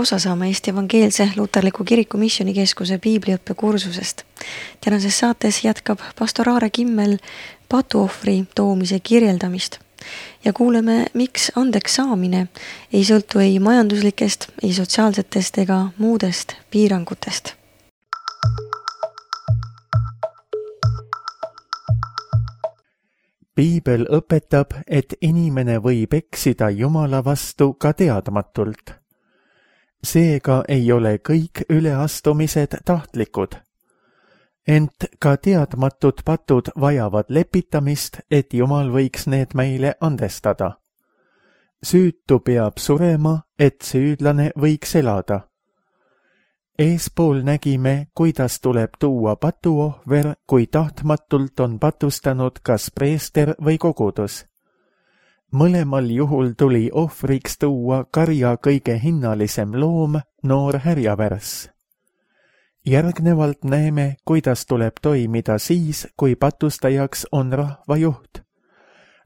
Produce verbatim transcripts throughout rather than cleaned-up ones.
osa saama Eesti Evangeelse Luterliku Kiriku Missioonikeskuse piibliõppe kursusest. Tänases saates jätkab pastor Aare Kimmel patuohvri toomise kirjeldamist ja kuuleme, miks andeks saamine ei sõltu ei majanduslikest, ei sotsiaalsetest ega muudest piirangutest. Piibel õpetab, et inimene võib eksida Jumala vastu ka teadmatult. Seega ei ole kõik üleastumised tahtlikud. Ent ka teadmatud patud vajavad lepitamist, et Jumal võiks need meile andestada. Süütu peab surema, et süüdlane võiks elada. Eespool nägime, kuidas tuleb tuua patuohver, kui tahtmatult on patustanud kas preester või kogudus. Mõlemal juhul tuli ohvriks tuua karja kõige hinnalisem loom, noor härjavärss. Järgnevalt näeme, kuidas tuleb toimida siis, kui patustajaks on rahvajuht.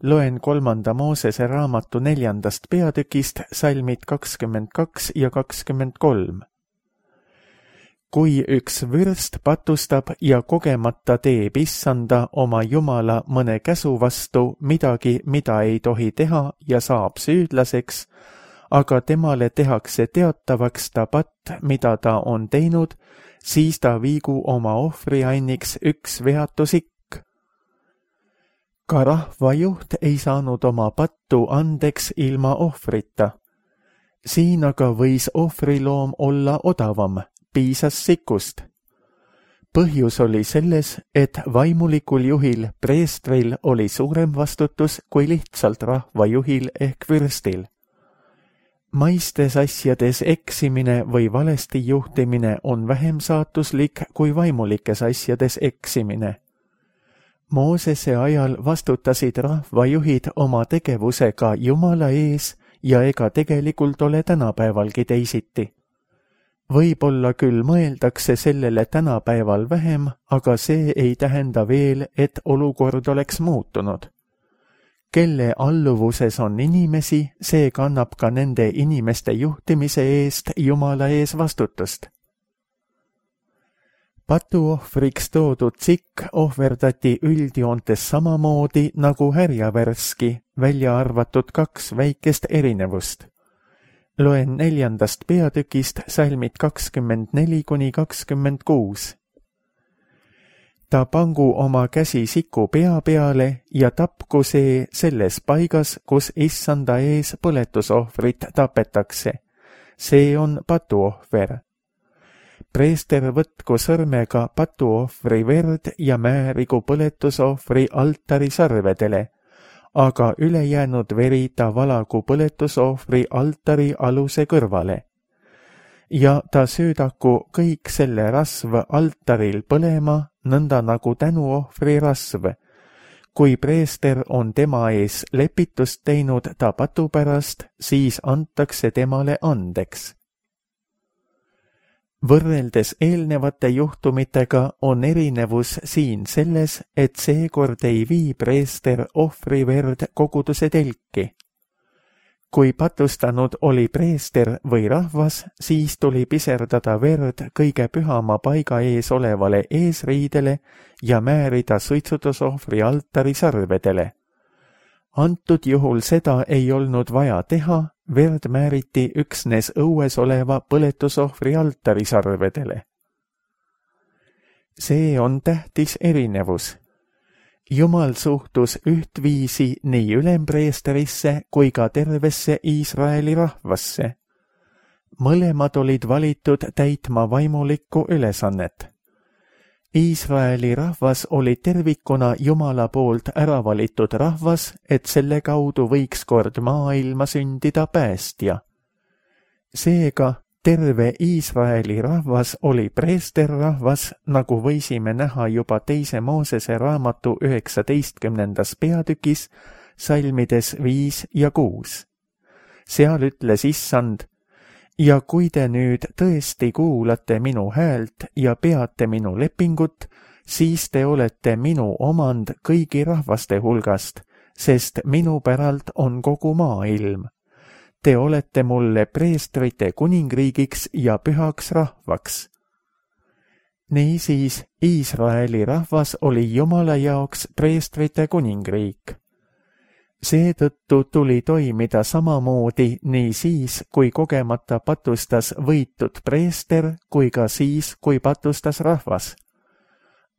Loen kolmanda Moosese raamatu neljandast peatükist salmid kakskümmend kaks ja kakskümmend kolm. Kui üks vürst patustab ja kogemata teeb issanda oma Jumala mõne käsu vastu midagi, mida ei tohi teha ja saab süüdlaseks, aga temale tehakse teatavaks ta patt, mida ta on teinud, siis ta viigu oma ohvrianniks üks veatu sikk. Ka rahvajuht ei saanud oma pattu andeks ilma ohvrita. Siin aga võis ohvriloom olla odavam. Piisas sikust. Põhjus oli selles, et vaimulikul juhil, preestril, oli suurem vastutus kui lihtsalt rahvajuhil ehk vürstil. Maistes asjades eksimine või valesti juhtimine on vähem saatuslik kui vaimulikes asjades eksimine. Moosese ajal vastutasid rahvajuhid oma tegevusega Jumala ees ja ega tegelikult ole tänapäevalgi teisiti. Võib-olla küll mõeldakse sellele tänapäeval vähem, aga see ei tähenda veel, et olukord oleks muutunud. Kelle alluvuses on inimesi, see kannab ka nende inimeste juhtimise eest Jumala ees vastutust. Patuohvriks toodud sikk ohverdati üldjoontes samamoodi nagu härjavärski, välja arvatud kaks väikest erinevust. Loen neljandast peatükist salmid kakskümmend neli kuni kakskümmend kuus. Ta pangu oma käsi siku pea peale ja tapku see selles paigas, kus issanda ees põletusohvrit tapetakse. See on patuohver. Preester võtku sõrmega patuohvri verd ja määrigu põletusohvri altari sarvedele, aga ülejäänud veri ta valagu põletusohvri altari aluse kõrvale. Ja ta söödaku kõik selle rasv altaril põlema, nõnda nagu tänuohvri rasv. Kui preester on tema ees lepitust teinud ta patu pärast, siis antakse temale andeks. Võrreldes eelnevate juhtumitega on erinevus siin selles, et seekord ei vii preester ohvriverd koguduse telki. Kui patustanud oli preester või rahvas, siis tuli piserdada verd kõige pühama paiga ees olevale eesriidele ja määrida suitsutusohvri altari sarvedele. Antud juhul seda ei olnud vaja teha, verd määriti üksnes õues oleva põletusohvri altari sarvedele. See on tähtis erinevus. Jumal suhtus ühtviisi nii ülempreesterisse kui ka tervesse Iisraeli rahvasse. Mõlemad olid valitud täitma vaimulikku ülesannet. Iisraeli rahvas oli tervikuna Jumala poolt ära valitud rahvas, et selle kaudu võiks kord maailma sündida päästja. Seega terve Iisraeli rahvas oli preesterrahvas, nagu võisime näha juba teise Moosese raamatu üheksateistkümnendas peatükis, salmides viis ja kuus. Seal ütles issand: ja kui te nüüd tõesti kuulate minu häält ja peate minu lepingut, siis te olete minu omand kõigi rahvaste hulgast, sest minu päralt on kogu maailm. te olete mulle preestrite kuningriigiks ja pühaks rahvaks. Niisiis, Iisraeli rahvas oli Jumala jaoks preestrite kuningriik. Seetõttu tuli toimida samamoodi nii siis, kui kogemata patustas võitud preester, kui ka siis, kui patustas rahvas.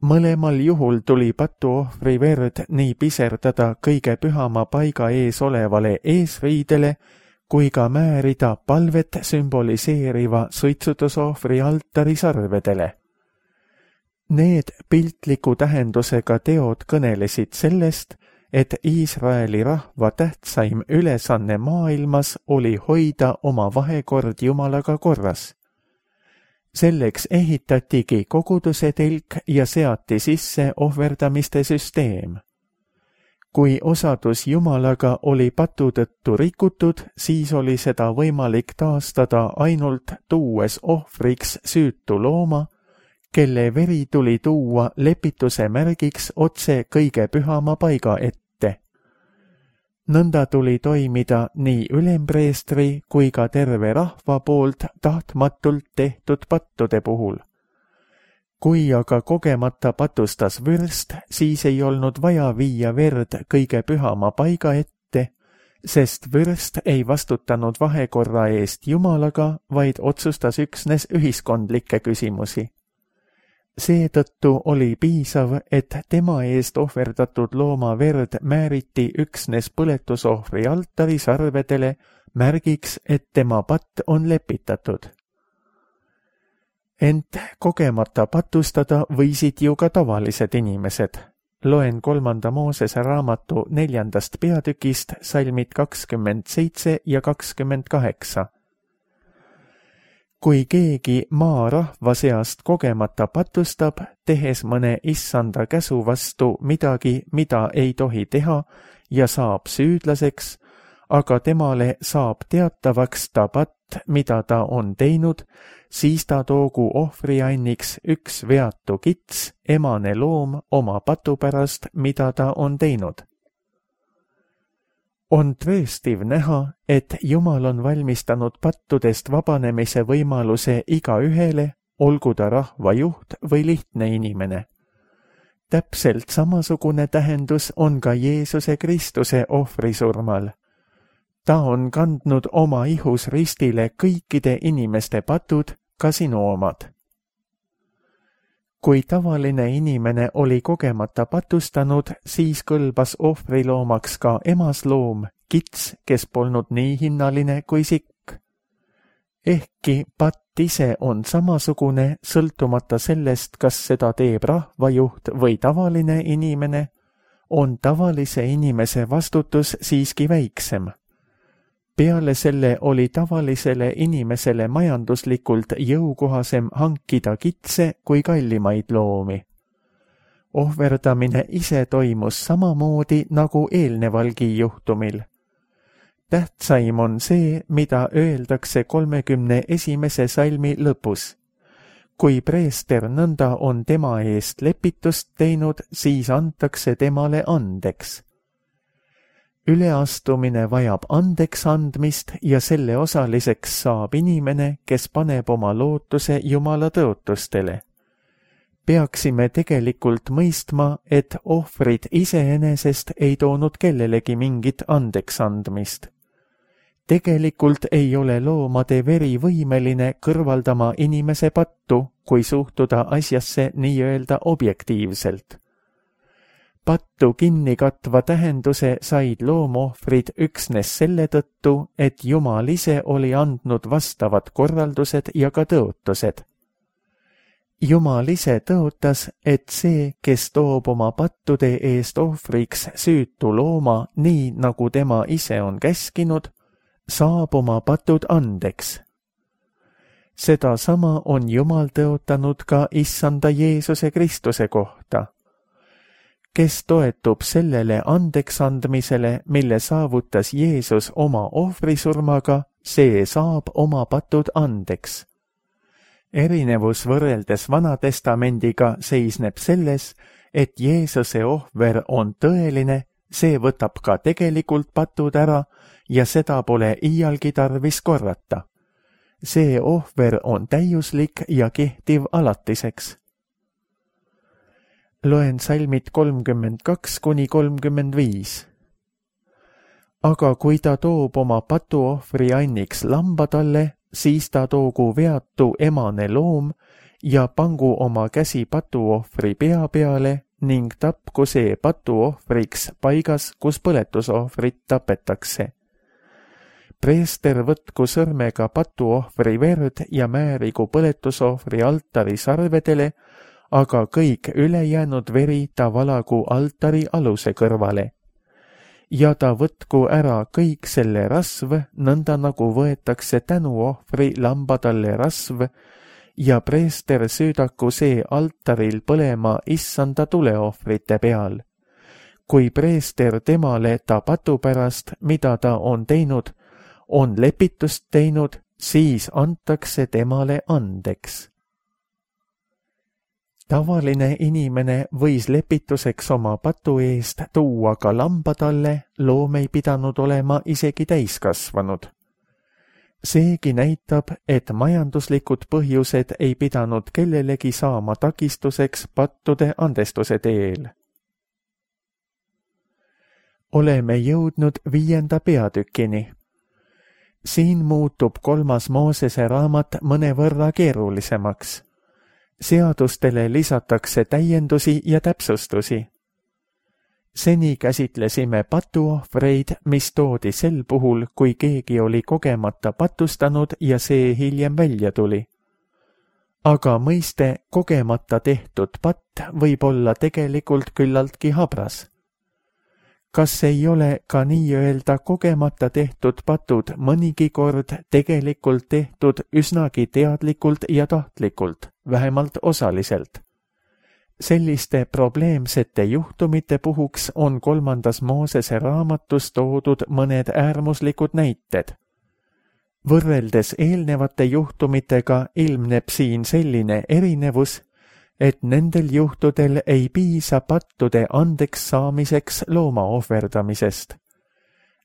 Mõlemal juhul tuli patuohvri verd nii piserdada kõige pühama paiga ees olevale eesriidele, kui ka määrida palvet sümboliseeriva suitsutusohvri altari sarvedele. Need piltliku tähendusega teod kõnelesid sellest, et Iisraeli rahva tähtsaim ülesanne maailmas oli hoida oma vahekord Jumalaga korras. Selleks ehitatigi koguduse telk ja seati sisse ohverdamiste süsteem. Kui osadus Jumalaga oli patu tõttu rikutud, siis oli seda võimalik taastada ainult tuues ohvriks süütu looma, kelle veri tuli tuua lepituse märgiks otse kõige pühama paiga ette. Nõnda tuli toimida nii ülempreestri kui ka terve rahva poolt tahtmatult tehtud pattude puhul. Kui aga kogemata patustas vürst, siis ei olnud vaja viia verd kõige pühama paiga ette, sest vürst ei vastutanud vahekorra eest Jumalaga, vaid otsustas üksnes ühiskondlikke küsimusi. Seetõttu oli piisav, et tema eest ohverdatud looma verd määriti üksnes põletusohvri altari sarvedele märgiks, et tema patt on lepitatud. Ent kogemata patustada võisid ju ka tavalised inimesed. Loen kolmanda Moosese raamatu neljandast peatükist salmid kakskümmend seitse ja kakskümmend kaheksa. Kui keegi maa rahva seast kogemata patustab, tehes mõne issanda käsu vastu midagi, mida ei tohi teha ja saab süüdlaseks, aga temale saab teatavaks ta patt, mida ta on teinud, siis ta toogu ohvrianniks üks veatu kits, emane loom oma patu pärast, mida ta on teinud. On tõestiv näha, et Jumal on valmistanud pattudest vabanemise võimaluse igaühele, olgu ta rahva juht või lihtne inimene. Täpselt samasugune tähendus on ka Jeesuse Kristuse ohvrisurmal. Ta on kandnud oma ihus ristile kõikide inimeste patud, ka sinu omad. Kui tavaline inimene oli kogemata patustanud, siis kõlbas ohvriloomaks ka emasloom, kits, kes polnud nii hinnaline kui sikk. Ehkki patt ise on samasugune, sõltumata sellest, kas seda teeb rahvajuht või tavaline inimene, on tavalise inimese vastutus siiski väiksem. Peale selle oli tavalisele inimesele majanduslikult jõukohasem hankida kitse kui kallimaid loomi. Ohverdamine ise toimus samamoodi nagu eelnevalgi juhtumil. Tähtsaim on see, mida öeldakse kolmekümne esimese salmi lõpus. Kui preester nõnda on tema eest lepitust teinud, siis antakse temale andeks. Üleastumine vajab andeks andmist ja selle osaliseks saab inimene, kes paneb oma lootuse Jumala tõotustele. Peaksime tegelikult mõistma, et ohvrid iseenesest ei toonud kellelegi mingit andeks andmist. Tegelikult ei ole loomade veri võimeline kõrvaldama inimese pattu, kui suhtuda asjasse nii-öelda objektiivselt. Pattu kinni katva tähenduse said loomohvrid üksnes selle tõttu, et Jumal ise oli andnud vastavad korraldused ja ka tõotused. Jumal ise tõotas, et see, kes toob oma pattude eest ohvriks süütu looma nii, nagu tema ise on käskinud, saab oma patud andeks. Seda sama on Jumal tõotanud ka issanda Jeesuse Kristuse kohta. Kes toetub sellele andeksandmisele, mille saavutas Jeesus oma ohvrisurmaga, see saab oma patud andeks. Erinevus võrreldes Vanatestamendiga seisneb selles, et Jeesuse ohver on tõeline, see võtab ka tegelikult patud ära ja seda pole iialgi tarvis korrata. See ohver on täiuslik ja kehtiv alatiseks. Loen salmid kolmkümmend kaks kuni kolmkümmend viis. Aga kui ta toob oma patuohvri anniks lamba talle, siis ta toogu veatu emane loom ja pangu oma käsi patuohvri pea peale ning tapku see patuohvriks paigas, kus põletusohvrit tapetakse. Preester võtku sõrmega patuohvri verd ja määrigu põletusohvri altari sarvedele, aga kõik ülejäänud veri ta valagu altari aluse kõrvale. Ja ta võtku ära kõik selle rasv, nõnda nagu võetakse tänuohvri lamba talle rasv, ja preester süüdaku see altaril põlema issanda tuleohvrite peal. Kui preester temale ta patu pärast, mida ta on teinud, on lepitust teinud, siis antakse temale andeks. Tavaline inimene võis lepituseks oma patu eest tuua ka lamba talle, loom ei pidanud olema isegi täiskasvanud. Seegi näitab, et majanduslikud põhjused ei pidanud kellelegi saama takistuseks pattude andestuse teel. Oleme jõudnud viienda peatükini. Siin muutub kolmas Moosese raamat mõnevõrra keerulisemaks. Seadustele lisatakse täiendusi ja täpsustusi. Seni käsitlesime patuohvreid, mis toodi sel puhul, kui keegi oli kogemata patustanud ja see hiljem välja tuli. Aga mõiste kogemata tehtud patt võib olla tegelikult küllaltki habras. Kas ei ole ka nii-öelda kogemata tehtud patud mõnigi kord tegelikult tehtud üsnagi teadlikult ja tahtlikult, vähemalt osaliselt? Selliste probleemsete juhtumite puhuks on kolmandas Moosese raamatus toodud mõned äärmuslikud näited. Võrreldes eelnevate juhtumitega ilmneb siin selline erinevus, et nendel juhtudel ei piisa pattude andeks saamiseks looma ohverdamisest.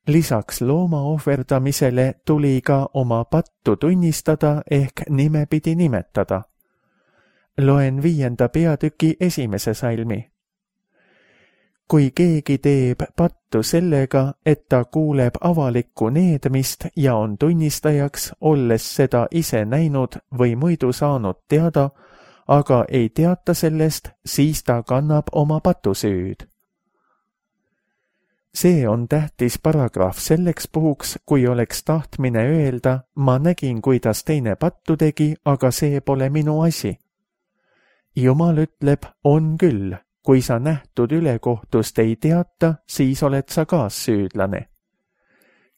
Lisaks looma ohverdamisele tuli ka oma pattu tunnistada ehk nimepidi nimetada. Loen viienda peatüki esimese salmi. Kui keegi teeb pattu sellega, et ta kuuleb avalikku needmist ja on tunnistajaks, olles seda ise näinud või muidu saanud teada, aga ei teata sellest, siis ta kannab oma patusüüd. See on tähtis paragrahv selleks puhuks, kui oleks tahtmine öelda, ma nägin, kuidas teine pattu tegi, aga see pole minu asi. Jumal ütleb, on küll, kui sa nähtud ülekohtust ei teata, siis oled sa kaassüüdlane.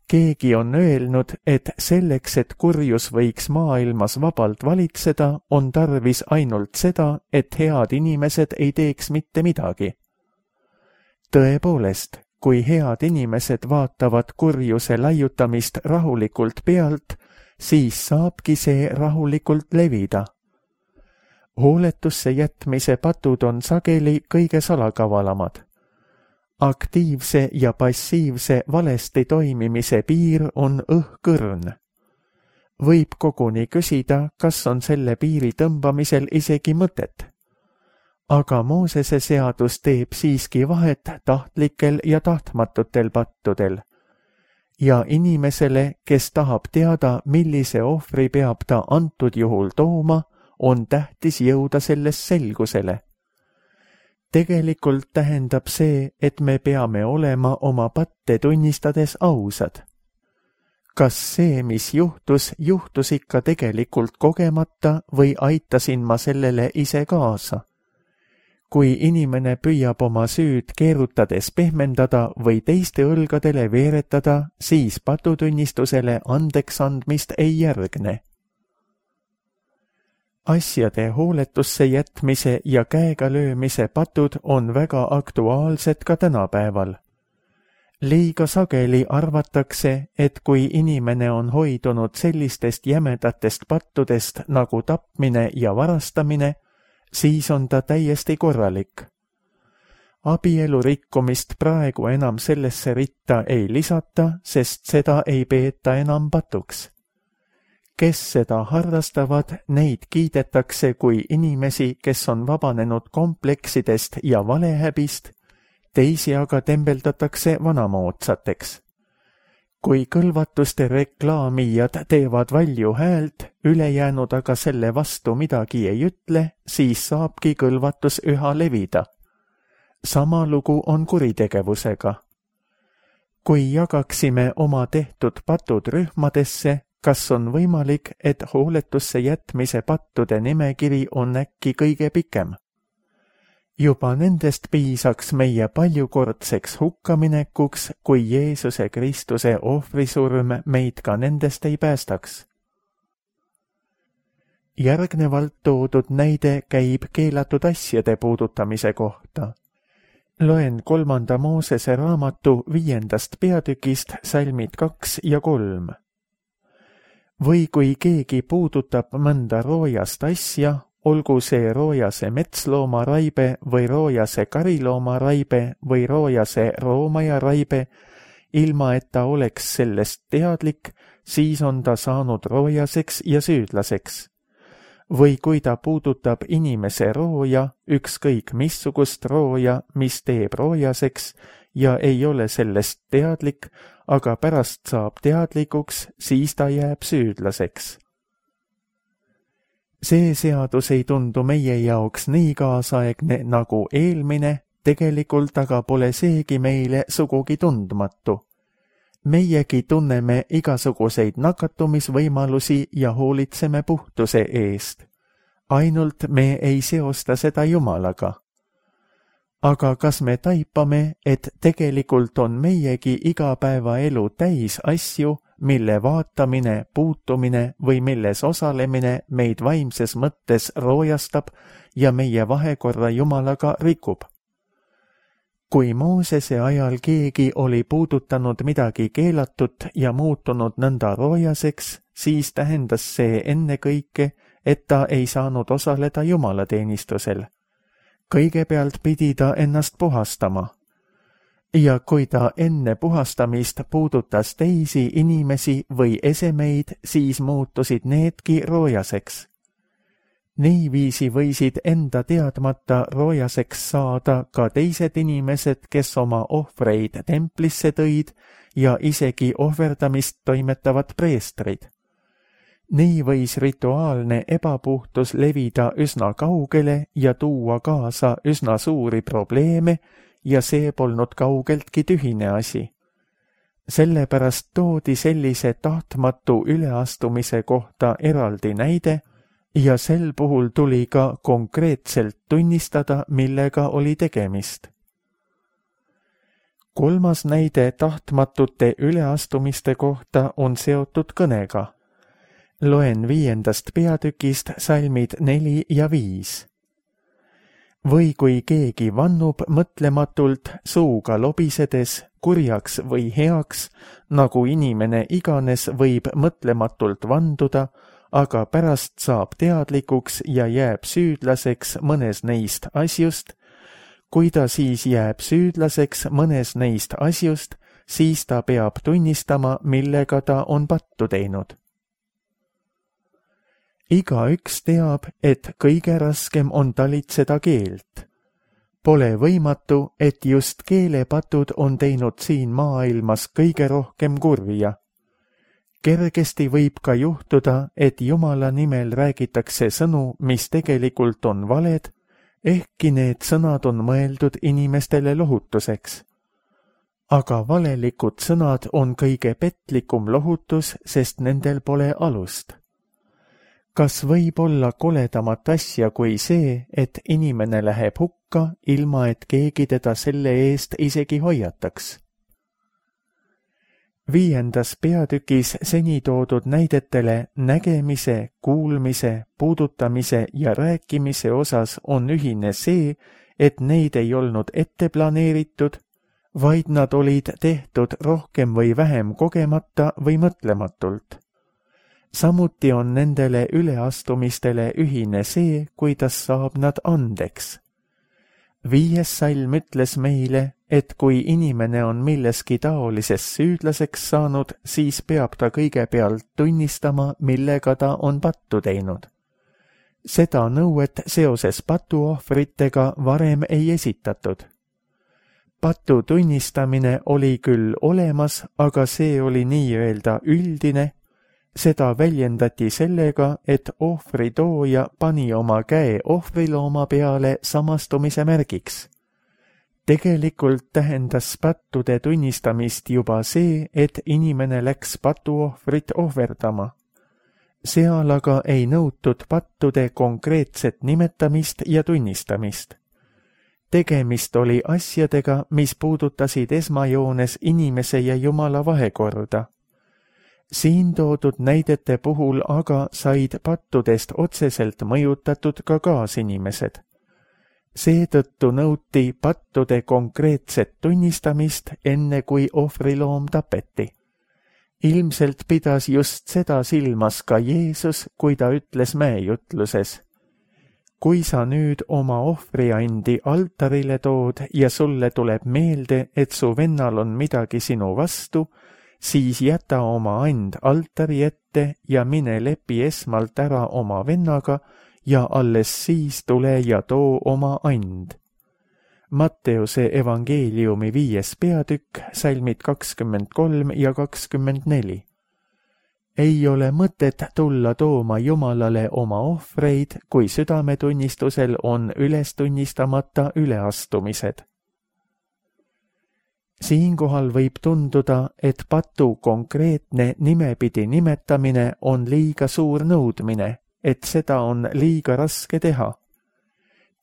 Keegi on öelnud, et selleks, et kurjus võiks maailmas vabalt valitseda, on tarvis ainult seda, et head inimesed ei teeks mitte midagi. Tõepoolest, kui head inimesed vaatavad kurjuse laiutamist rahulikult pealt, siis saabki see rahulikult levida. Hooletusse jätmise patud on sageli kõige salakavalamad. Aktiivse ja passiivse valesti toimimise piir on õhkõrn. Võib koguni küsida, kas on selle piiri tõmbamisel isegi mõtet. Aga Moosese seadus teeb siiski vahet tahtlikel ja tahtmatutel pattudel. Ja inimesele, kes tahab teada, millise ohvri peab ta antud juhul tooma, on tähtis jõuda selles selgusele. Tegelikult tähendab see, et me peame olema oma patte tunnistades ausad. Kas see, mis juhtus, juhtus ikka tegelikult kogemata või aitasin ma sellele ise kaasa? Kui inimene püüab oma süüd keerutades pehmendada või teiste õlgadele veeretada, siis patutunnistusele andeks andmist ei järgne. Asjade hooletusse jätmise ja käega löömise patud on väga aktuaalsed ka tänapäeval. Liiga sageli arvatakse, et kui inimene on hoidunud sellistest jämedatest pattudest nagu tapmine ja varastamine, siis on ta täiesti korralik. abielu rikkumist praegu enam sellesse ritta ei lisata, sest seda ei peeta enam patuks. Kes seda harrastavad, neid kiidetakse kui inimesi, kes on vabanenud kompleksidest ja valehäbist, teisi aga tembeldatakse vanamoodsateks. Kui kõlvatuste reklaamijad teevad valju häält, ülejäänud aga selle vastu midagi ei ütle, siis saabki kõlvatus üha levida. Sama lugu on kuritegevusega. Kui jagaksime oma tehtud patud rühmadesse, kas on võimalik, et hooletusse jätmise pattude nimekiri on äkki kõige pikem? Juba nendest piisaks meie paljukordseks hukkaminekuks, kui Jeesuse Kristuse ohvrisurm meid ka nendest ei päästaks. Järgnevalt toodud näide käib keelatud asjade puudutamise kohta. Loen kolmanda Moosese raamatu viiendast peatükist salmid kaks ja kolm. Või kui keegi puudutab mõnda roojast asja, olgu see roojase metslooma-raibe või roojase karilooma-raibe või roojase roomaja-raibe, ilma et ta oleks sellest teadlik, siis on ta saanud roojaseks ja süüdlaseks. Või kui ta puudutab inimese rooja, ükskõik missugust rooja, mis teeb roojaseks ja ei ole sellest teadlik, aga pärast saab teadlikuks, siis ta jääb süüdlaseks. See seadus ei tundu meie jaoks nii kaasaegne nagu eelmine, tegelikult aga pole seegi meile sugugi tundmatu. Meiegi tunneme igasuguseid nakatumisvõimalusi ja hoolitseme puhtuse eest. Ainult me ei seosta seda Jumalaga. Aga kas me taipame, et tegelikult on meiegi igapäevaelu täis asju, mille vaatamine, puutumine või milles osalemine meid vaimses mõttes roojastab ja meie vahekorra Jumalaga rikub? Kui Moosese ajal keegi oli puudutanud midagi keelatut ja muutunud nõnda roojaseks, siis tähendas see ennekõike, et ta ei saanud osaleda jumalateenistusel. Kõigepealt pidi ta ennast puhastama. Ja kui ta enne puhastamist puudutas teisi inimesi või esemeid, siis muutusid needki roojaseks. Niiviisi võisid enda teadmata roojaseks saada ka teised inimesed, kes oma ohvreid templisse tõid ja isegi ohverdamist toimetavad preestrid. Nii võis rituaalne ebapuhtus levida üsna kaugele ja tuua kaasa üsna suuri probleeme ja see polnud kaugeltki tühine asi. Sellepärast toodi sellise tahtmatu üleastumise kohta eraldi näide ja sel puhul tuli ka konkreetselt tunnistada, millega oli tegemist. Kolmas näide tahtmatute üleastumiste kohta on seotud kõnega. Loen viiendast peatükist salmid neli ja viis. Või kui keegi vannub mõtlematult suuga lobisedes, kurjaks või heaks, nagu inimene iganes võib mõtlematult vanduda, aga pärast saab teadlikuks ja jääb süüdlaseks mõnes neist asjust, kui ta siis jääb süüdlaseks mõnes neist asjust, siis ta peab tunnistama, millega ta on pattu teinud. Igaüks teab, et kõige raskem on talitseda keelt. Pole võimatu, et just keelepatud on teinud siin maailmas kõige rohkem kurja. Kergesti võib ka juhtuda, et Jumala nimel räägitakse sõnu, mis tegelikult on valed, ehkki need sõnad on mõeldud inimestele lohutuseks. Aga valelikud sõnad on kõige petlikum lohutus, sest nendel pole alust. Kas võib olla koledamat asja kui see, et inimene läheb hukka, ilma et keegi teda selle eest isegi hoiataks? Viiendas peatükis seni toodud näidetele nägemise, kuulmise, puudutamise ja rääkimise osas on ühine see, et neid ei olnud ette planeeritud, vaid nad olid tehtud rohkem või vähem kogemata või mõtlematult. Samuti on nendele üleastumistele ühine see, kuidas saab nad andeks. viies salm ütles meile, et kui inimene on milleski taolises süüdlaseks saanud, siis peab ta kõigepealt tunnistama, millega ta on pattu teinud. Seda nõuet seoses patuohvritega varem ei esitatud. Patu tunnistamine oli küll olemas, aga see oli nii-öelda üldine. Seda väljendati sellega, et ohvritooja pani oma käe ohvrilooma peale samastumise märgiks. Tegelikult tähendas pattude tunnistamist juba see, et inimene läks patuohvrit ohverdama. Seal aga ei nõutud pattude konkreetset nimetamist ja tunnistamist. Tegemist oli asjadega, mis puudutasid esmajoones inimese ja Jumala vahekorda. Siin toodud näidete puhul aga said pattudest otseselt mõjutatud ka kaasinimesed. Seetõttu nõuti pattude konkreetset tunnistamist, enne kui ohvriloom tapeti. Ilmselt pidas just seda silmas ka Jeesus, kui ta ütles mäejutluses: kui sa nüüd oma ohvriandi altarile tood ja sulle tuleb meelde, et su vennal on midagi sinu vastu, siis jäta oma and altari ette ja mine lepi esmalt ära oma vennaga ja alles siis tule ja too oma and. Matteuse evangeeliumi viies peatükk, salmid kakskümmend kolm ja kakskümmend neli. Ei ole mõtet tulla tooma Jumalale oma ohvreid, kui südametunnistusel on üles tunnistamata üleastumised. Siinkohal võib tunduda, et patu konkreetne nimepidi nimetamine on liiga suur nõudmine, et seda on liiga raske teha.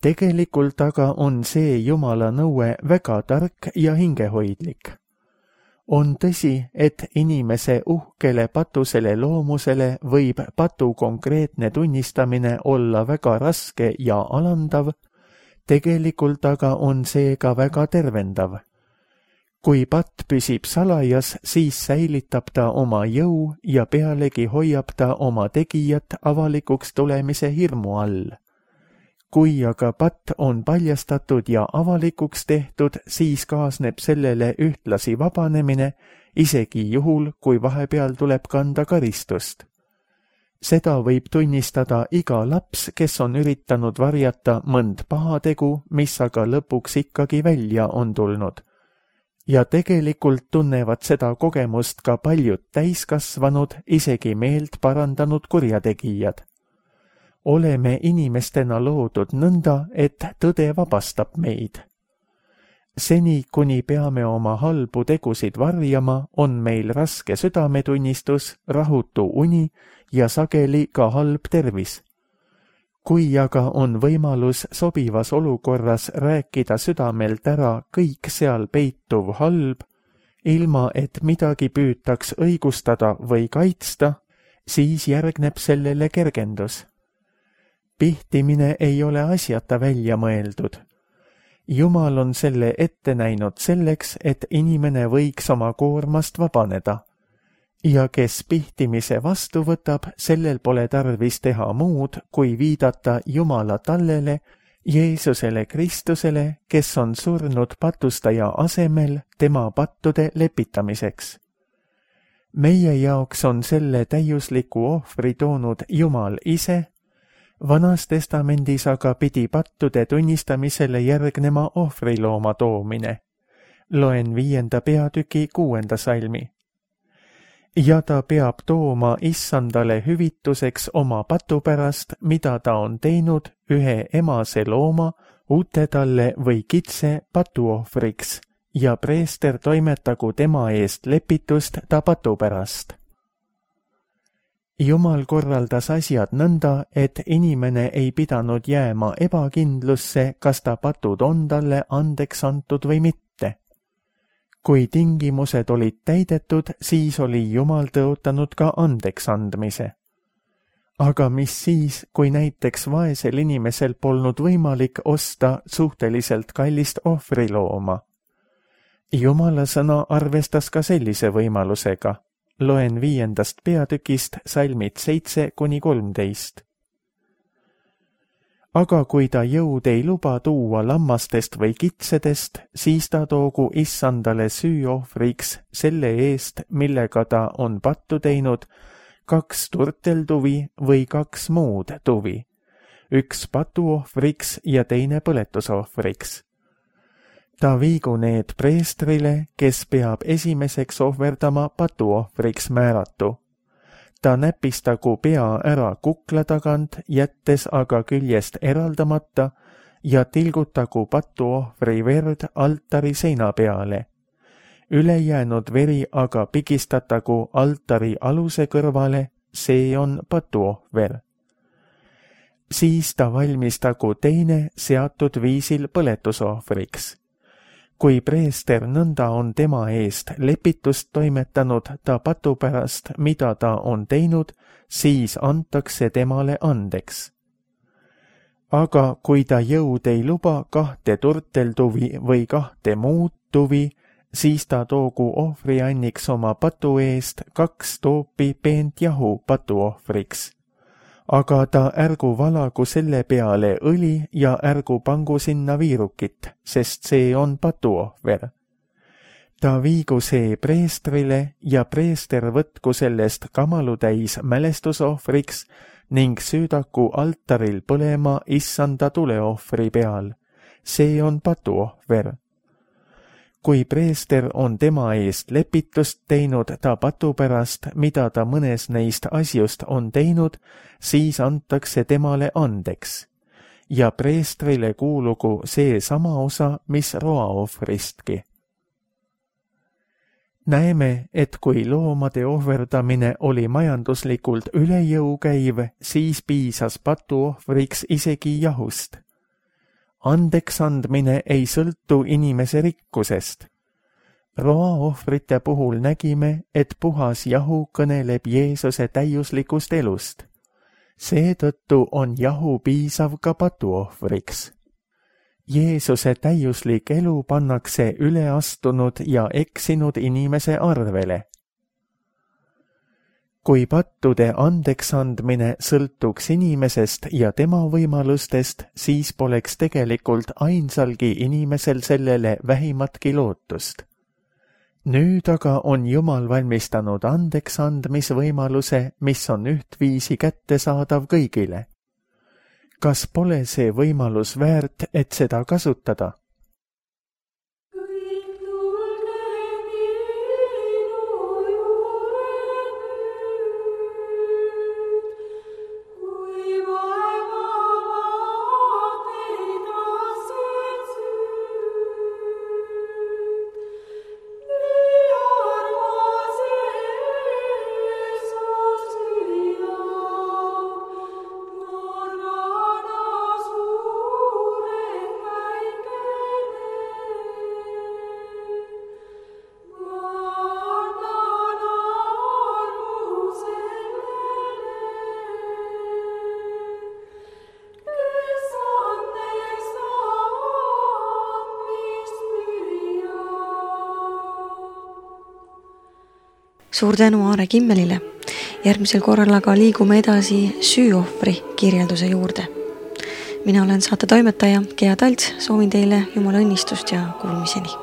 Tegelikult aga on see Jumala nõue väga tark ja hingehoidlik. On tõsi, et inimese uhkele patusele loomusele võib patu konkreetne tunnistamine olla väga raske ja alandav, tegelikult aga on see ka väga tervendav. Kui patt püsib salajas, siis säilitab ta oma jõu ja pealegi hoiab ta oma tegijat avalikuks tulemise hirmu all. Kui aga patt on paljastatud ja avalikuks tehtud, siis kaasneb sellele ühtlasi vabanemine, isegi juhul, kui vahepeal tuleb kanda karistust. Seda võib tunnistada iga laps, kes on üritanud varjata mõnd pahategu, mis aga lõpuks ikkagi välja on tulnud. Ja tegelikult tunnevad seda kogemust ka paljud täiskasvanud, isegi meelt parandanud kurjategijad. Oleme inimestena loodud nõnda, et tõde vabastab meid. Seni, kuni peame oma halbu tegusid varjama, on meil raske südametunnistus, rahutu uni ja sageli ka halb tervis. Kui aga on võimalus sobivas olukorras rääkida südamelt ära kõik seal peituv halb, ilma et midagi püütaks õigustada või kaitsta, siis järgneb sellele kergendus. Pihtimine ei ole asjata välja mõeldud. Jumal on selle ette näinud selleks, et inimene võiks oma koormast vabaneda. Ja kes pihtimise vastu võtab, sellel pole tarvis teha muud, kui viidata Jumala tallele, Jeesusele Kristusele, kes on surnud patustaja asemel tema pattude lepitamiseks. Meie jaoks on selle täiusliku ohvri toonud Jumal ise, Vanas testamendis aga pidi pattude tunnistamisele järgnema ohvrilooma toomine. Loen viienda peatüki kuuenda salmi. Ja ta peab tooma issandale hüvituseks oma patu pärast, mida ta on teinud ühe emase looma, ute talle või kitse patuohvriks, ja preester toimetagu tema eest lepitust ta patu pärast. Jumal korraldas asjad nõnda, et inimene ei pidanud jääma ebakindlusse, kas ta patud on talle andeks antud või mitte. Kui tingimused olid täidetud, siis oli Jumal tõotanud ka andeks andmise. Aga mis siis, kui näiteks vaesel inimesel polnud võimalik osta suhteliselt kallist ohvrilooma? Jumala sõna arvestas ka sellise võimalusega. Loen viiendast peatükist salmid seitse kuni kolmteist. aga kui ta jõud ei luba tuua lammastest või kitsedest, siis ta toogu issandale süüohvriks selle eest, millega ta on pattu teinud, kaks turteltuvi või kaks muud tuvi, üks patuohvriks ja teine põletusohvriks. Ta viigu need preestrile, kes peab esimeseks ohverdama patuohvriks määratu. Ta näpistagu pea ära kukla tagant, jättes aga küljest eraldamata ja tilgutagu patuohvri verd altari seina peale. Ülejäänud veri aga pigistatagu altari aluse kõrvale, see on patuohver. Siis ta valmistagu teine seatud viisil põletusohvriks. Kui preester nõnda on tema eest lepitust toimetanud ta patu pärast, mida ta on teinud, siis antakse temale andeks. Aga kui ta jõud ei luba kahte turteltuvi või kahte muud tuvi, siis ta toogu ohvrianniks oma patu eest kaks toopi peent jahu patuohvriks. Aga ta ärgu valagu selle peale õli ja ärgu pangu sinna viirukit, sest see on patuohver. Ta viigu see preestrile ja preester võtku sellest kamalutäis mälestusohvriks ning süüdaku altaril põlema issanda tuleohvri peal. See on patuohver. Kui preester on tema eest lepitust teinud ta patu pärast, mida ta mõnes neist asjust on teinud, siis antakse temale andeks. Ja preestrile kuulugu see sama osa, mis roaohvristki. Näeme, et kui loomade ohverdamine oli majanduslikult üle jõu käiv, siis piisas patuohvriks isegi jahust. Andeks andmine ei sõltu inimese rikkusest. Roaohvrite puhul nägime, et puhas jahu kõneleb Jeesuse täiuslikust elust. Seetõttu on jahu piisav ka patuohvriks. Jeesuse täiuslik elu pannakse üleastunud ja eksinud inimese arvele. Kui pattude andeksandmine sõltuks inimesest ja tema võimalustest, siis poleks tegelikult ainsalgi inimesel sellele vähimatki lootust. Nüüd aga on Jumal valmistanud andeksandmisvõimaluse, mis on ühtviisi kättesaadav kõigile. Kas pole see võimalus väärt, et seda kasutada? Suur tänu Aare Kimmelile. Järgmisel korral aga liigume edasi süüohvri kirjelduse juurde. Mina olen saate toimetaja Gea Talts, soovin teile Jumala õnnistust ja kuulmiseni.